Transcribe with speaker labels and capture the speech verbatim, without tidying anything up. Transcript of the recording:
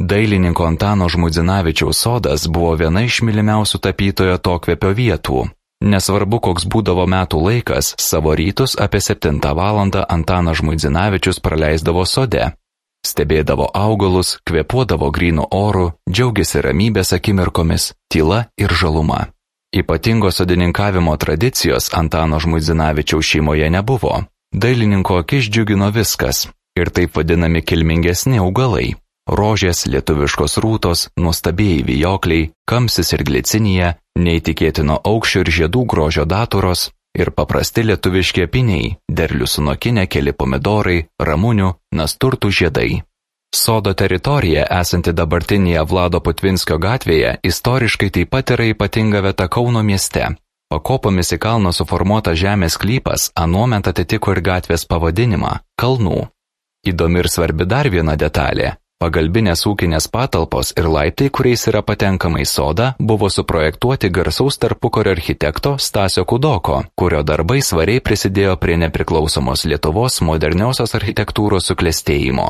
Speaker 1: Dailininko Antano Žmuidzinavičiaus sodas buvo viena iš mylimiausių tapytojo atokvėpio vietų. Nesvarbu, koks būdavo metų laikas, savo rytus apie septintą valandą Antanas Žmuidzinavičius praleisdavo sode. Stebėdavo augalus, kvėpuodavo grynu oru, džiaugėsi ramybės akimirkomis, tyla ir žaluma. Ypatingo sodininkavimo tradicijos Antano Žmuidzinavičiaus šeimoje nebuvo. Dailininko akis džiugino viskas, ir taip vadinami kilmingesni augalai. Rožės, lietuviškos rūtos, nuostabieji vijokliai, kamsis ir glicinija, neįtikėtino aukščio ir žiedų grožio daturos ir paprasti lietuviški apyniai, derlių sunokinę keli pomidorai, ramunių, nasturtų žiedai. Sodo teritorija, esanti dabartinėje Vlado Putvinskio gatvėje, istoriškai taip pat yra ypatinga vieta Kauno mieste. Pakopomis į kalną suformuotas žemės sklypas anuomet atitiko ir gatvės pavadinimą – Kalnų. Įdomi ir svarbi dar viena detalė. Pagalbinės ūkinės patalpos ir laiptai, kuriais yra patenkama į sodą, buvo suprojektuoti garsaus tarpukario architekto Stasio Kudoko, kurio darbai svariai prisidėjo prie nepriklausomos Lietuvos moderniosios architektūros suklestėjimo.